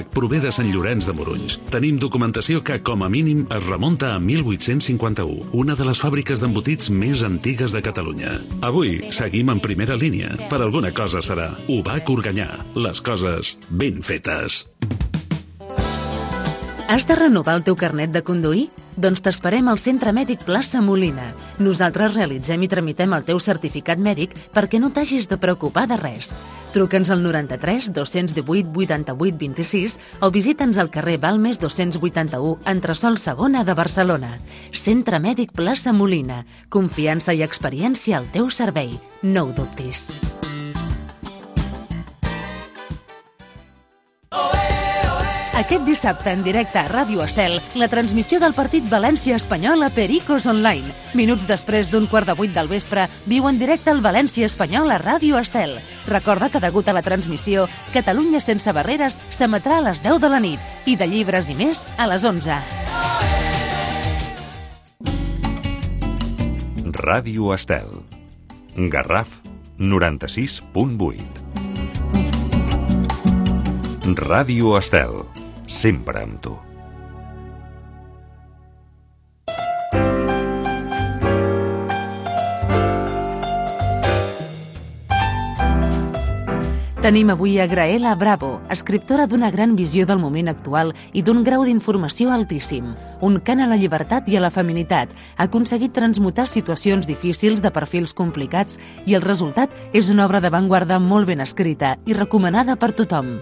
Tabac prové de Sant Llorenç de Morunys. Tenim documentació que, com a mínim, es remunta a 1851, una de les fàbriques d'embotits més antigues de Catalunya. Avui seguim en primera línia. Per alguna cosa serà. Ubac Organyà. Les coses ben fetes. Has de renovar el teu carnet de conduir? Doncs t'esperem al Centre Mèdic Plaça Molina. Nosaltres realitzem i tramitem el teu certificat mèdic perquè no t'hagis de preocupar de res. Truca'ns al 93 218 88 26 o visita'ns al carrer Balmes 281, entresòl segona de Barcelona. Centre Mèdic Plaça Molina. Confiança i experiència al teu servei. No ho dubtis. Aquest dissabte, en directe a Ràdio Estel, la transmissió del partit València-Espanyol a Pericos Online. Minuts després d'7:15 del vespre, viu en directe el València-Espanyol a Ràdio Estel. Recorda que, degut a la transmissió, Catalunya sense barreres s'emetrà a les 10 de la nit i de llibres i més a les 11. Ràdio Estel. Garraf 96.8. Ràdio Estel. Sempre amb tu. Tenim avui a Graela Bravo, escriptora d'una gran visió del moment actual i d'un grau d'informació altíssim. Un cant a la llibertat i a la feminitat. Ha aconseguit transmutar situacions difícils de perfils complicats i el resultat és una obra d'avantguarda molt ben escrita i recomanada per tothom.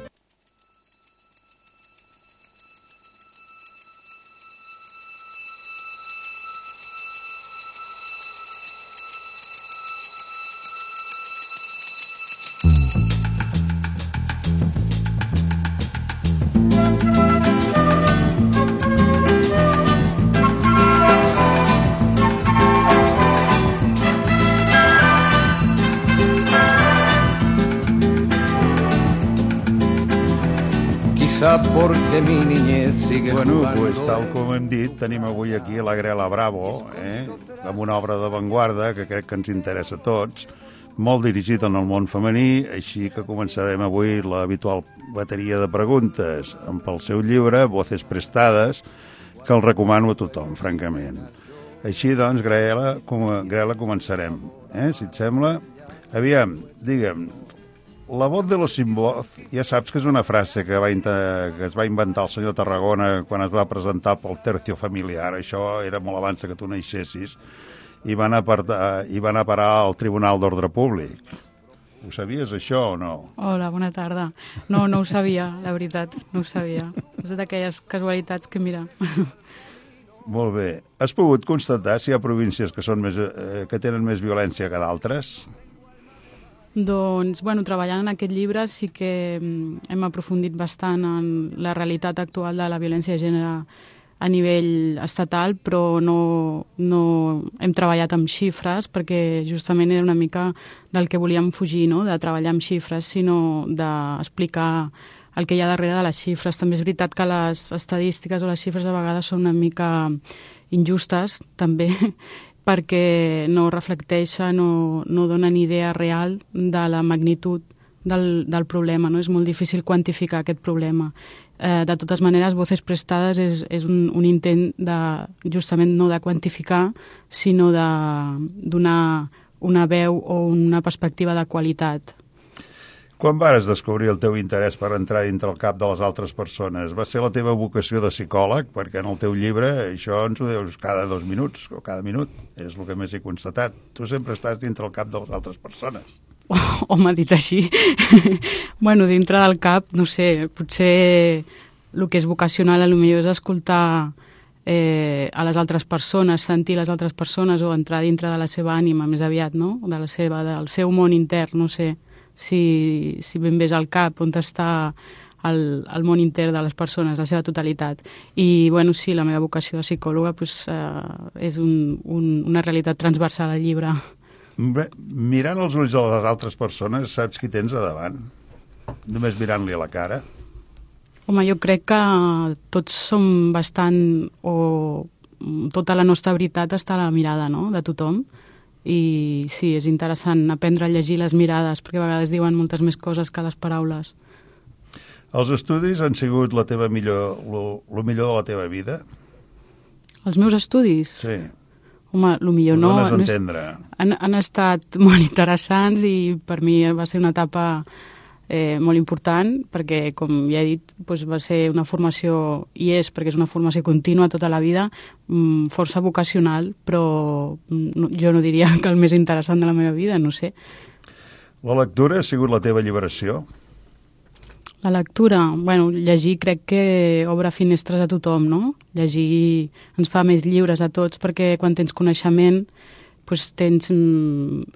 Porque mi niñez sigue jugando. Pues tal com hem dit, tenim avui aquí la Graela Bravo, amb una obra d'avantguarda que crec que ens interessa a tots, molt dirigida en el món femení, així que començarem avui l'habitual bateria de preguntes amb el seu llibre, Voces Prestades, que el recomano a tothom, francament. Així doncs, Graela, començarem, si et sembla. Aviam, digue'm, la voz de los sin voz, ja saps que és una frase que es va inventar el senyor Tarragona quan es va presentar pel Tercio Familiar. Això era molt abans que tu naixessis, i van a parar al Tribunal d'Ordre Públic. Ho sabies, això, o no? Hola, bona tarda. No ho sabia, la veritat, no ho sabia. És d'aquelles casualitats que, mira... Molt bé. Has pogut constatar si hi ha províncies que tenen més violència que d'altres? Doncs, treballant en aquest llibre sí que hem aprofundit bastant en la realitat actual de la violència de gènere a nivell estatal, però no hem treballat amb xifres perquè justament era una mica del que volíem fugir, no? De treballar amb xifres, sinó d'explicar el que hi ha darrere de les xifres. També és veritat que les estadístiques o les xifres a vegades són una mica injustes, també, perquè no reflecteixen o no donen idea real de la magnitud del problema, no? És molt difícil quantificar aquest problema. De totes maneres, Voces Prestades és un intent de, justament no de quantificar, sinó de donar una veu o una perspectiva de qualitat. Quan vas descobrir el teu interès per entrar dintre el cap de les altres persones? Va ser la teva vocació de psicòleg? Perquè en el teu llibre això ens ho dius cada 2 minuts o cada minut. És el que més he constatat. Tu sempre estàs dintre el cap de les altres persones. Home, dit així. Dintre del cap, no sé, potser el que és vocacional potser és escoltar a les altres persones, sentir les altres persones o entrar dintre de la seva ànima, més aviat, no? Del seu món intern, no sé. Si ben bé és al cap on està el món intern de les persones, la seva totalitat. I, sí, la meva vocació de psicòloga és una realitat transversal al llibre. Mirant els ulls de les altres persones, saps qui tens a davant? Només mirant-li a la cara? Home, jo crec que tots som bastant, o tota la nostra veritat està a la mirada, no?, de tothom. I sí, és interessant aprendre a llegir les mirades, perquè a vegades diuen moltes més coses que les paraules. Els estudis han sigut el millor de la teva vida? Els meus estudis? Sí. Home, el millor no. Han estat molt interessants i per mi va ser una etapa molt important perquè, com ja he dit, doncs va ser una formació, i és perquè és una formació contínua tota la vida, força vocacional, però jo no diria que el més interessant de la meva vida, no sé. La lectura ha sigut la teva alliberació? La lectura, bueno, llegir crec que obre finestres a tothom, no? Llegir ens fa més lliures a tots perquè quan tens coneixement doncs tens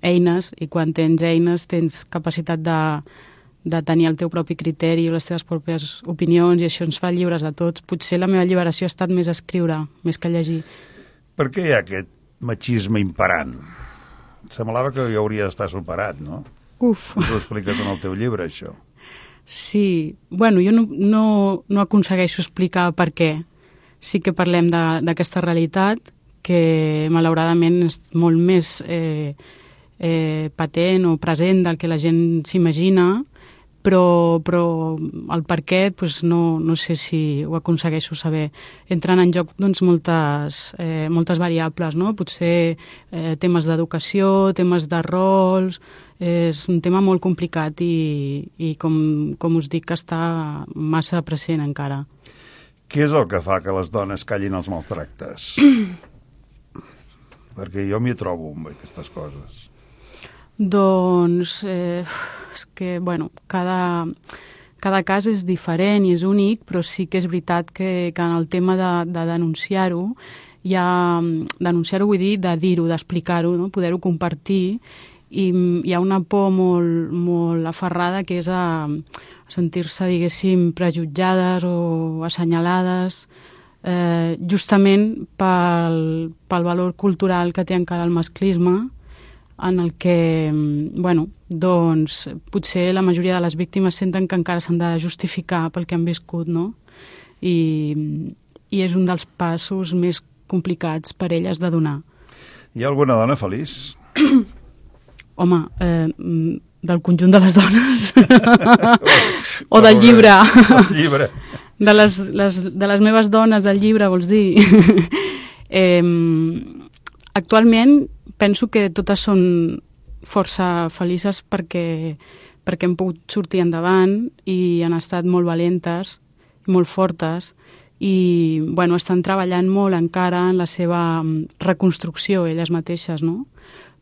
eines, i quan tens eines tens capacitat de tenir el teu propi criteri i les teves pròpies opinions, i això ens fa lliures a tots. Potser la meva alliberació ha estat més escriure, més que llegir. Per què hi ha aquest machisme imperant? Semblava que ja hauria d'estar superat, no? Uf! Tu ho expliques en el teu llibre, això. Sí, bueno, jo no aconsegueixo explicar per què. Sí que parlem d'aquesta realitat que malauradament és molt més patent o present del que la gent s'imagina, però el per què doncs no sé si ho aconsegueixo saber. Entren en joc doncs, moltes variables, no? Potser temes d'educació, temes de rols. És un tema molt complicat i com us dic, està massa present encara. Què és el que fa que les dones callin els maltractes? Perquè jo m'hi trobo amb aquestes coses. Doncs és que, bueno, cada cas és diferent i és únic, però sí que és veritat que en el tema de denunciar-ho, denunciar-ho vull dir de dir-ho, d'explicar-ho, no? Poder-ho compartir, i hi ha una por molt aferrada que és a sentir-se, diguéssim, prejutjades o assenyalades, justament pel valor cultural que té encara el masclisme, en el que, bueno, doncs, potser la majoria de les víctimes senten que encara s'han de justificar pel que han viscut, no? I és un dels passos més complicats per elles de donar. Hi ha alguna dona feliç? Home, del conjunt de les dones? O del llibre? Del llibre. De les meves dones del llibre, vols dir? Actualment penso que totes són força felices perquè hem pogut sortir endavant i han estat molt valentes, molt fortes, i bueno, estan treballant molt encara en la seva reconstrucció elles mateixes, no?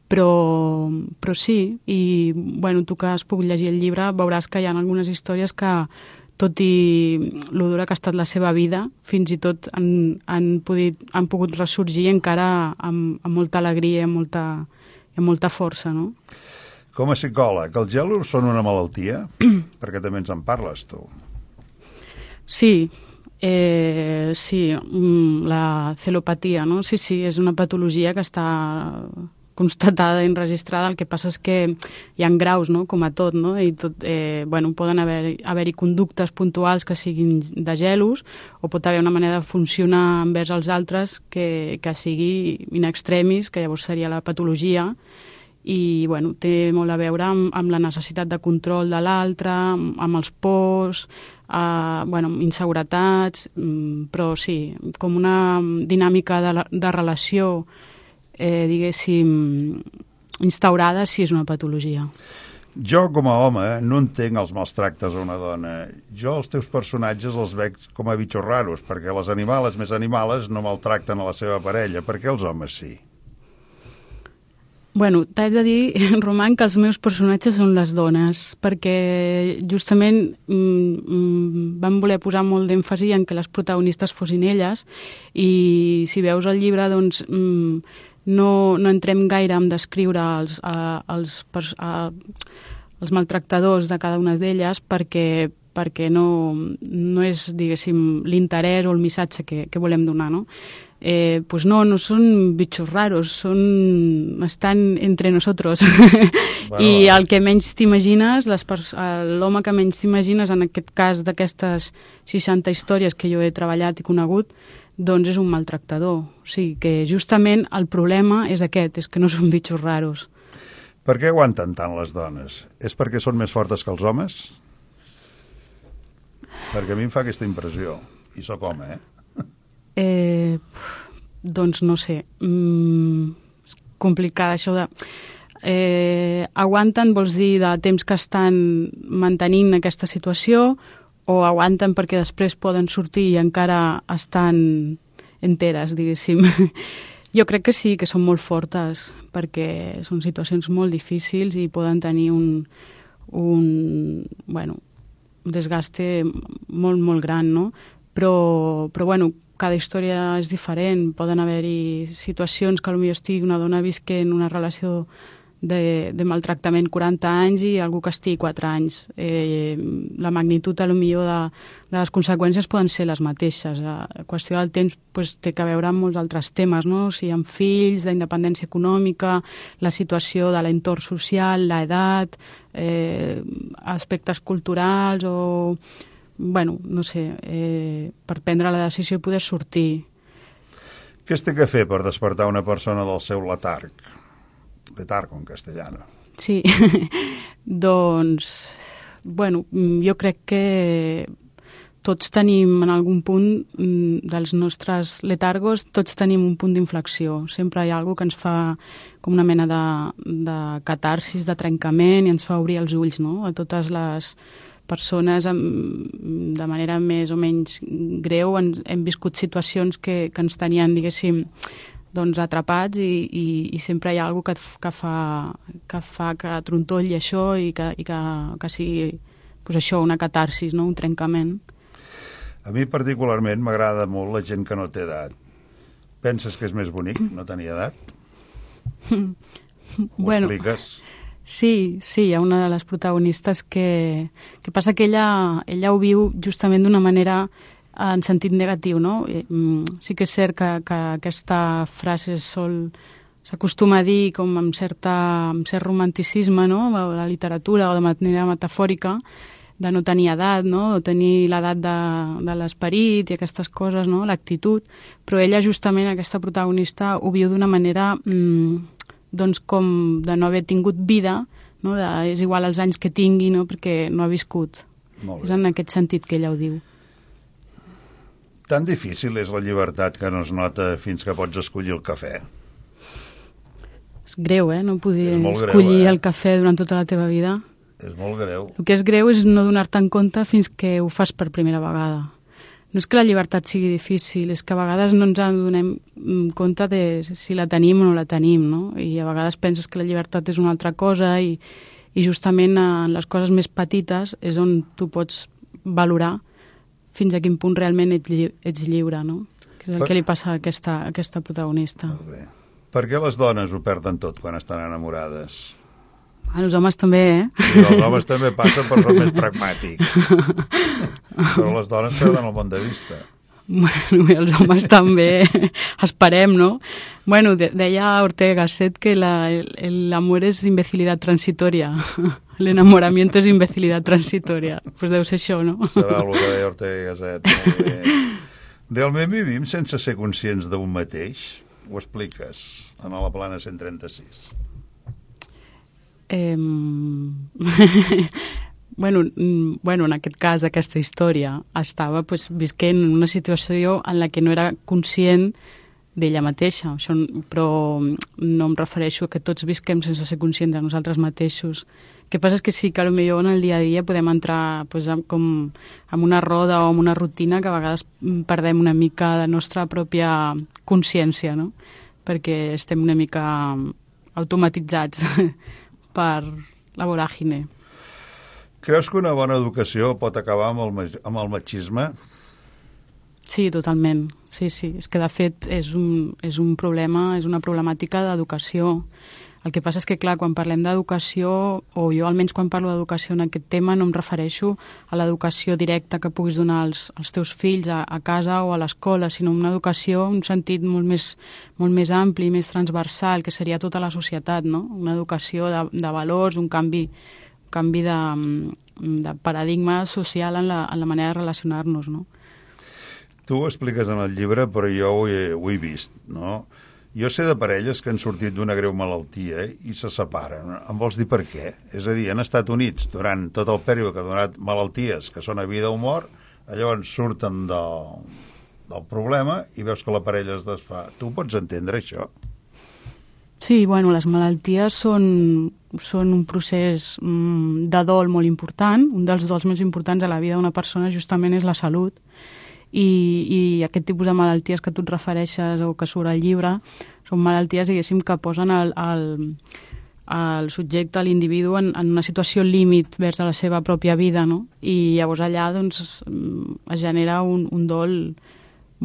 Però sí, i bueno, tu que has pogut llegir el llibre veuràs que hi ha algunes històries que, tot i lo dura que ha estat la seva vida, fins i tot han pogut ressorgir encara amb molta alegria i amb molta força, no? Com a psicòleg, els gelos són una malaltia? Perquè també ens en parles, tu. Sí, la celopatia, no? Sí, és una patologia que està constatada i enregistrada. El que passa és que hi ha graus, no?, com a tot, no? I poden haver-hi conductes puntuals que siguin de gelos, o pot haver una manera de funcionar envers els altres que sigui in extremis, que llavors seria la patologia, i té molt a veure amb la necessitat de control de l'altre, amb els pors, inseguretats, però sí, com una dinàmica de relació diguéssim, instaurada, sí és una patologia. Jo, com a home, no entenc els mals tractes a una dona. Jo els teus personatges els veig com a bitxos raros, perquè les animales més animales no maltracten a la seva parella. Per què els homes sí? Bueno, t'haig de dir, Roman, que els meus personatges són les dones, perquè justament van voler posar molt d'èmfasi en que les protagonistes fossin elles, i si veus el llibre, doncs no entrem gaire en descriure els maltractadors de cada una d'elles, perquè no és, diguéssim, l'interès o el missatge que volem donar, no? Pues no són bitxos raros, estan entre nosotros. I el que menys t'imagines, l'home que menys t'imagines, en aquest cas d'aquestes 60 històries que jo he treballat i conegut, doncs és un maltractador. O sigui que justament el problema és aquest, és que no són bitxos raros. Per què aguanten tant les dones? És perquè són més fortes que els homes? Perquè a mi em fa aquesta impressió. I sóc home, Doncs no sé. És complicat això de... aguanten, vols dir, de temps que estan mantenint aquesta situació, o aguanten perquè després poden sortir i encara estan enteres, diguéssim. Jo crec que sí, que són molt fortes, perquè són situacions molt difícils i poden tenir un desgaste molt, molt gran, no? Però bueno, cada història és diferent. Poden haver-hi situacions que potser estigui una dona visquent una relació de maltractament 40 anys i algú que estigui 4 anys. La magnitud, potser, de les conseqüències poden ser les mateixes. La qüestió del temps té que veure amb molts altres temes, no? Si hi ha fills, la independència econòmica, la situació de l'entorn social, l'edat, aspectes culturals o... no sé, per prendre la decisió i poder sortir. Què es té que fer per despertar una persona del seu letarg? Letargo en castellano. Sí, doncs, jo crec que tots tenim en algun punt dels nostres letargos, tots tenim un punt d'inflexió. Sempre hi ha alguna que ens fa com una mena de catarsis, de trencament, i ens fa obrir els ulls, no? A totes les persones de manera més o menys greu hem viscut situacions que ens tenien, diguéssim, doncs atrapats i sempre hi ha alguna que fa que trontolli això i que sigui pues això, una catarsis, no? Un trencament. A mi particularment m'agrada molt la gent que no té edat. Penses que és més bonic no tenir edat? Ho expliques? Sí, hi ha una de les protagonistes que passa que ella ho viu justament d'una manera en sentit negatiu, no? Sí que és cert que aquesta frase s'acostuma a dir com amb cert romanticisme, no? A la literatura o de manera metafòrica, de no tenir edat, no? De tenir l'edat de l'esperit i aquestes coses, no? L'actitud, però ella justament, aquesta protagonista, ho viu d'una manera doncs com de no haver tingut vida, no? És igual els anys que tingui, no? Perquè no ha viscut. És en aquest sentit que ella ho diu. Tan difícil és la llibertat que no es nota fins que pots escollir el cafè. És greu, no poder escollir el cafè durant tota la teva vida. És molt greu. El que és greu és no donar-te en compte fins que ho fas per primera vegada. No és que la llibertat sigui difícil, és que a vegades no ens donem compte de si la tenim o no la tenim, no? I a vegades penses que la llibertat és una altra cosa i justament en les coses més petites és on tu pots valorar fins a quin punt realment ets lliure, no? Que és el que li passa a aquesta protagonista. Molt bé. Per què les dones ho perden tot quan estan enamorades? Els homes també, Sí, els homes també passen per ser més pragmàtics. Però les dones perden el món de vista. Els homes també, esperem, no? Deia Ortega Gasset que l'amor és imbecilidad transitoria. L'enamoramiento és imbecilidad transitoria. Pues deu ser això, no? Serà el que deia Ortega Gasset. Molt bé. Realment vivim sense ser conscients d'un mateix? Ho expliques en la plana 136. En aquest cas, aquesta història estava visquent en una situació en la que no era conscient d'ella mateixa, però no em refereixo a que tots visquem sense ser conscients de nosaltres mateixos. El que passa és que sí que potser en el dia a dia podem entrar com en una roda o en una rutina que a vegades perdem una mica la nostra pròpia consciència, no? Perquè estem una mica automatitzats per la voràgine. Creus que una bona educació pot acabar amb el machisme? Sí, totalment. Sí. És que, de fet, és un problema, és una problemàtica d'educació. El que passa és que, clar, quan parlem d'educació, o jo almenys quan parlo d'educació en aquest tema, no em refereixo a l'educació directa que puguis donar als teus fills a casa o a l'escola, sinó una educació en un sentit molt més ampli, més transversal, que seria tota la societat, no? Una educació de valors, un canvi de paradigma social en la manera de relacionar-nos, no? Tu ho expliques en el llibre, però jo ho he vist, no? Jo sé de parelles que han sortit d'una greu malaltia i se separen. Em vols dir per què? És a dir, han estat units durant tot el període que ha donat malalties que són a vida o mort, Llavors surten del problema i veus que la parella es desfà. Tu pots entendre això? Sí, bueno, les malalties són un procés de dol molt important. Un dels dols més importants de la vida d'una persona justament és la salut. I aquest tipus de malalties que tu et refereixes o que surt al llibre són malalties, diguéssim, que posen el subjecte, l'individu, en una situació límit vers la seva pròpia vida, no? I llavors allà doncs, es genera un dol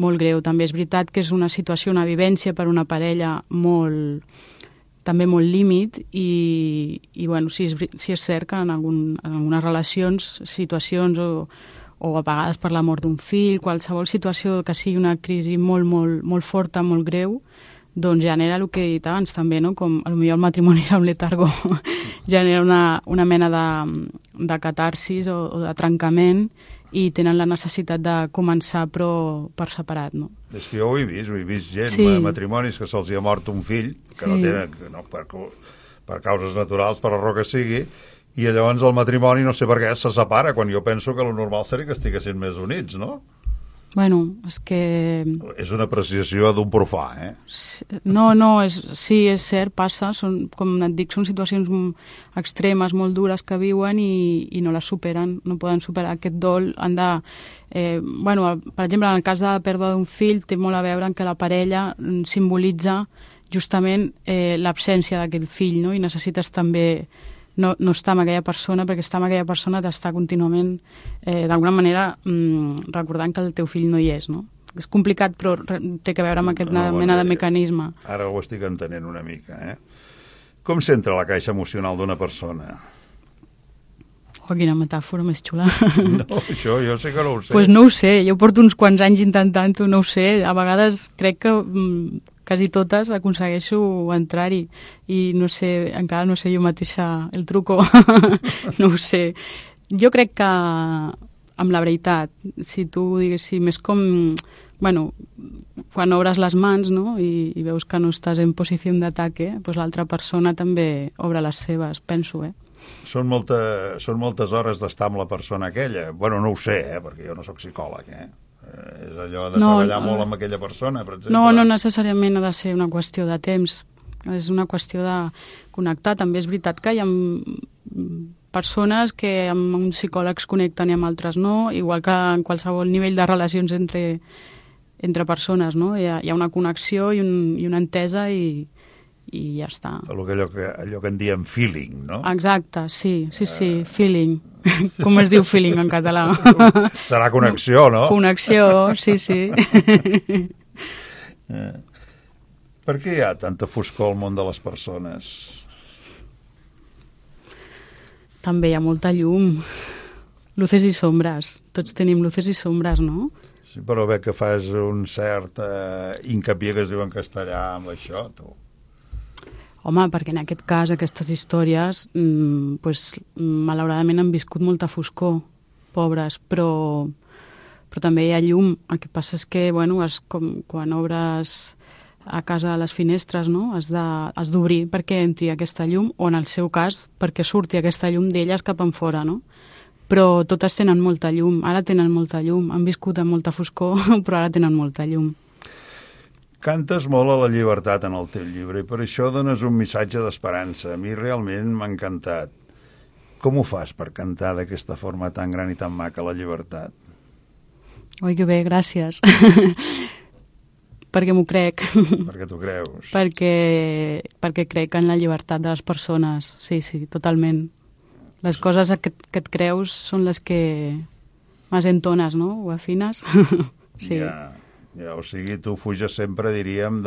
molt greu. També és veritat que és una situació, una vivència per una parella també molt límit i bueno, sí és cert que en algunes relacions, situacions o a vegades per la mort d'un fill, qualsevol situació que sigui una crisi molt, molt, molt forta, molt greu, doncs genera el que he dit abans també, no? Com potser el matrimoni era un letargo, genera una mena de catarsis o de trencament i tenen la necessitat de començar però per separat, no? És que jo ho he vist gent, sí. Matrimonis que se'ls ha mort un fill, que sí. no tenen, per causes naturals, per la raó que sigui, i llavors el matrimoni no sé per què se separa, quan jo penso que el normal seria que estiguessin més units, no? Bueno, és que... És una apreciació d'un profà, eh? No, sí, és cert, passa, com et dic, són situacions extremes, molt dures que viuen i no les superen, no poden superar aquest dol, han de... per exemple, en el cas de la pèrdua d'un fill, té molt a veure en que la parella simbolitza justament l'absència d'aquest fill, no? I necessites també no estar amb aquella persona, perquè estar amb aquella persona t'està contínuament, d'alguna manera, recordant que el teu fill no hi és, no? És complicat, però té a veure amb aquesta mena de mecanisme. Ara ho estic entenent una mica, eh? Com s'entra a la caixa emocional d'una persona? Oh, quina metàfora més xula. No, això jo sé que no ho sé. Pues no ho sé, jo porto uns quants anys intentant-ho, no ho sé. A vegades crec que quasi totes aconsegueixo entrar-hi i no sé, encara no sé jo mateixa el truco, no ho sé. Jo crec que amb la veritat, si tu diguéssim, és com, bueno, quan obres les mans, no?, i veus que no estàs en posició d'ataque, doncs l'altra persona també obre les seves, penso, Són moltes hores d'estar amb la persona aquella. Bueno, no ho sé, perquè jo no sóc psicòleg, és allò de treballar molt amb aquella persona, per exemple. No necessàriament ha de ser una qüestió de temps, és una qüestió de connectar. També és veritat que hi ha persones que amb uns psicòlegs connecten i amb altres no, igual que en qualsevol nivell de relacions entre persones, no? Hi ha una connexió i una entesa i ja està. Allò que en diem feeling, no? Exacte, sí, feeling. Com es diu feeling en català? Serà connexió, no? Connexió, sí. Per què hi ha tanta foscor al món de les persones? També hi ha molta llum. Luces i sombres. Tots tenim luces i sombres, no? Sí, però veig que fas un cert hincapié que es diu en castellà amb això, tu. Home, perquè en aquest cas, aquestes històries, malauradament han viscut molta foscor, pobres, però també hi ha llum. El que passa és que, bueno, quan obres a casa les finestres, no?, has d'obrir perquè entri aquesta llum, o en el seu cas, perquè surti aquesta llum d'elles cap enfora, no? Però totes tenen molta llum, ara tenen molta llum, han viscut amb molta foscor, però ara tenen molta llum. Cantes molt a la llibertat en el teu llibre i per això dones un missatge d'esperança. A mi realment m'ha encantat. Com ho fas per cantar d'aquesta forma tan gran i tan maca la llibertat? Oi, que bé, gràcies. Perquè m'ho crec. Perquè t'ho creus. Perquè crec en la llibertat de les persones. Sí, totalment. Les coses que et creus són les que més entones, no? O afines. Sí. Ja, o sigui, tu fuges sempre, diríem,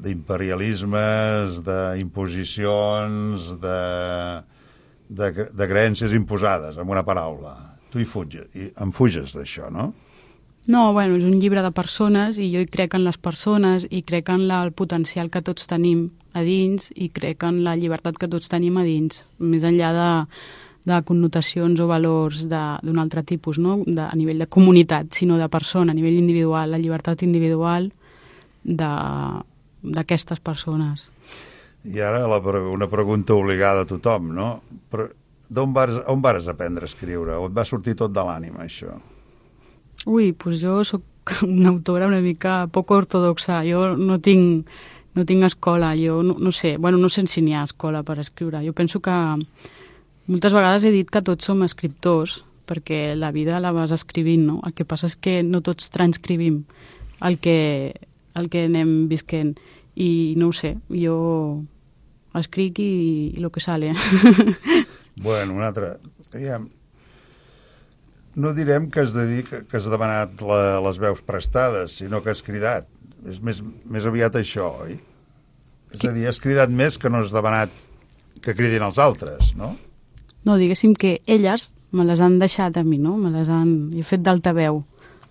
d'imperialismes, d'imposicions, de creences imposades, amb una paraula. Tu em fuges d'això, no? No, bueno, és un llibre de persones i jo hi crec en les persones i crec en el potencial que tots tenim a dins i crec en la llibertat que tots tenim a dins, més enllà de connotacions o valors d'un altre tipus, no? A nivell de comunitat, sinó de persona, a nivell individual, la llibertat individual d'aquestes persones. I ara una pregunta obligada a tothom, no? Però on vas aprendre a escriure? O et va sortir tot de l'ànima, això? Ui, doncs jo sóc una autora una mica poc ortodoxa. Jo no tinc escola, jo no sé. Bueno, no sé si n'hi ha escola per escriure. Jo penso que moltes vegades he dit que tots som escriptors, perquè la vida la vas escrivint, no? El que passa és que no tots transcrivim el que anem visquent. I no ho sé, jo escric i lo que sale. Bueno, un altre... No direm que has demanat les veus prestades, sinó que has cridat. És més aviat això, oi? És a dir, has cridat més que no has demanat que cridin els altres, no? No, diguéssim que elles me les han deixat a mi, no? He fet d'altaveu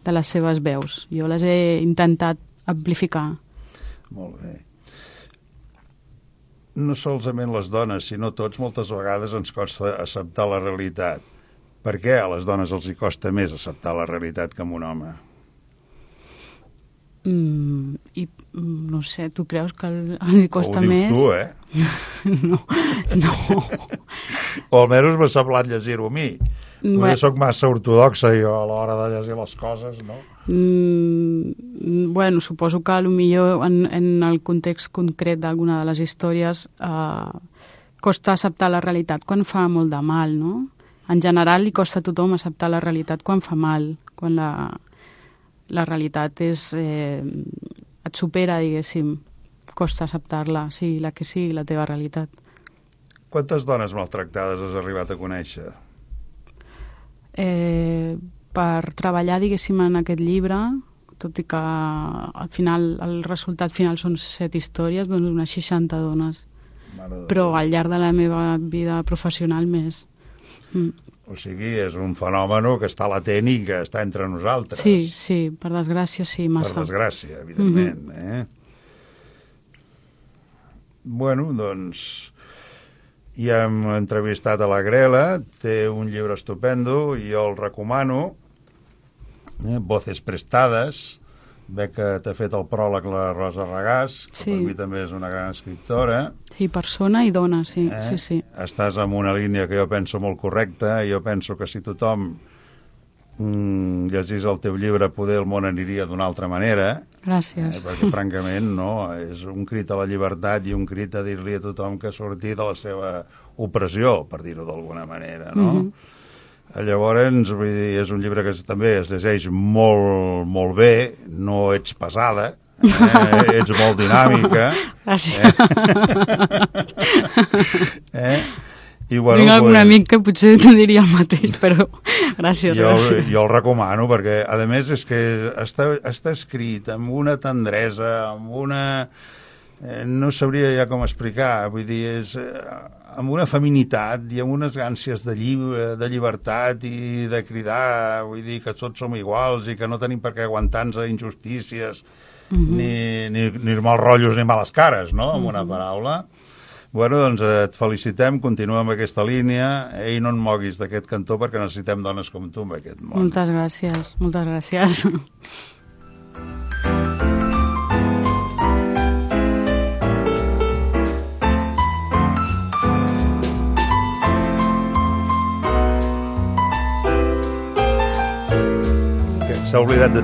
de les seves veus. Jo les he intentat amplificar. Molt bé. No solament les dones, sinó tots, moltes vegades ens costa acceptar la realitat. Per què a les dones els hi costa més acceptar la realitat que a un home? No sé, tu creus que els costa més? Ho dius tu, No. O almenys m'ha semblat llegir-ho a mi. Potser soc massa ortodoxa jo a l'hora de llegir les coses, no? Bueno, suposo que potser en el context concret d'alguna de les històries costa acceptar la realitat quan fa molt de mal, no? En general li costa a tothom acceptar la realitat quan fa mal, quan la realitat et supera, diguéssim, costa acceptar-la, sigui la que sigui la teva realitat. Quantes dones maltractades has arribat a conèixer? Per treballar, diguéssim, en aquest llibre, tot i que al final el resultat final són 7 històries, doncs unes 60 dones. Però al llarg de la meva vida professional més. O sigui, és un fenomen que està latent i que està entre nosaltres. Sí, per desgràcia, sí, massa. Per desgràcia, evidentment. Bueno, doncs, ja hem entrevistat a la Grela, té un llibre estupendo i jo el recomano, Voces prestades, veig que t'ha fet el pròleg la Rosa Regàs, que per mi també és una gran escriptora. Sí, persona i dona, sí. Estàs en una línia que jo penso molt correcta, i jo penso que si tothom llegís el teu llibre, poder el món aniria d'una altra manera. Gràcies. Perquè, francament, no, és un crit a la llibertat i un crit a dir-li a tothom que surti de la seva opressió, per dir-ho d'alguna manera, no? Llavors, vull dir, és un llibre que també es llegeix molt, molt bé, no ets pesada, ets molt dinàmica. Gràcies. I, bueno, tinc algun amic que potser t'ho diria el mateix, però gràcies. Jo el recomano perquè, a més, és que està escrit amb una tendresa, amb una... no sabria ja com explicar, vull dir, és amb una feminitat i amb unes ànsies de llibertat i de cridar, vull dir, que tots som iguals i que no tenim per què aguantar-nos a injustícies, ni mals rotllos ni males cares, no?, amb una paraula. Bueno, doncs et felicitem, continua amb aquesta línia, i no et moguis d'aquest cantó perquè necessitem dones com tu en aquest món. Moltes gràcies, moltes gràcies. S'ha oblidat de...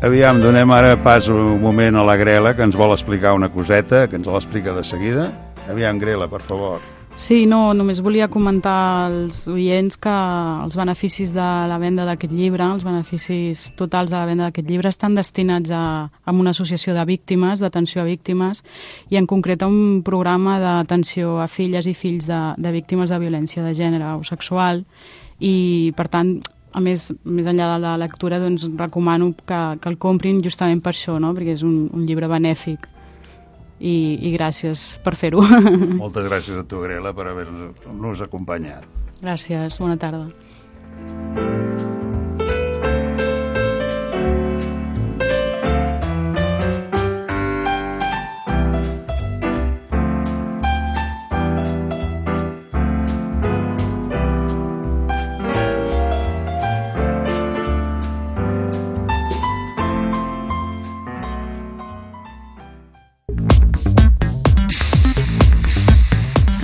Aviam, donem ara pas un moment a la Grela, que ens vol explicar una coseta, que ens l'explica de seguida. Aviam, Grela, per favor. Sí, no, només volia comentar als oients que els beneficis de la venda d'aquest llibre, els beneficis totals de la venda d'aquest llibre estan destinats a una associació de víctimes, d'atenció a víctimes, i en concret a un programa d'atenció a filles i fills de víctimes de violència de gènere o sexual, i per tant, a més enllà de la lectura, doncs recomano que el comprin justament per això, no? Perquè és un llibre benèfic. I gràcies per fer-ho. Moltes gràcies a tu, Grela, per haver-nos acompanyat. Gràcies, bona tarda.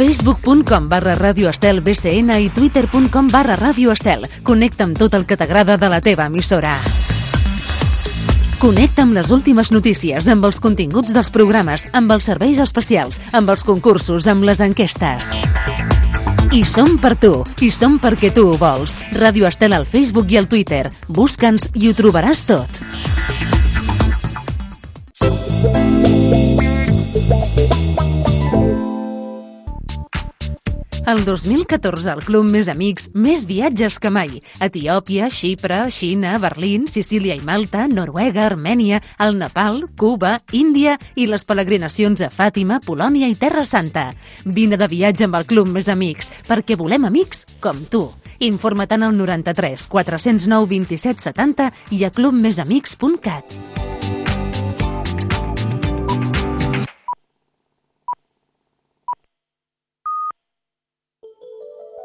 facebook.com/radioestelbcn i twitter.com/radioestel. Connecta amb tot el que t'agrada de la teva emissora. Connecta amb les últimes notícies, amb els continguts dels programes, amb els serveis especials, amb els concursos, amb les enquestes. I som per tu, i som perquè tu ho vols. Ràdio Estel al Facebook i al Twitter. Busca'ns i ho trobaràs tot. El 2014 al Club Més Amics, més viatges que mai. Etiòpia, Xipre, Xina, Berlín, Sicília i Malta, Noruega, Armènia, el Nepal, Cuba, Índia i les peregrinacions a Fàtima, Polònia i Terra Santa. Vine de viatge amb el Club Més Amics, perquè volem amics com tu. Informa't al 93 409 27 70 i a clubmesamics.cat.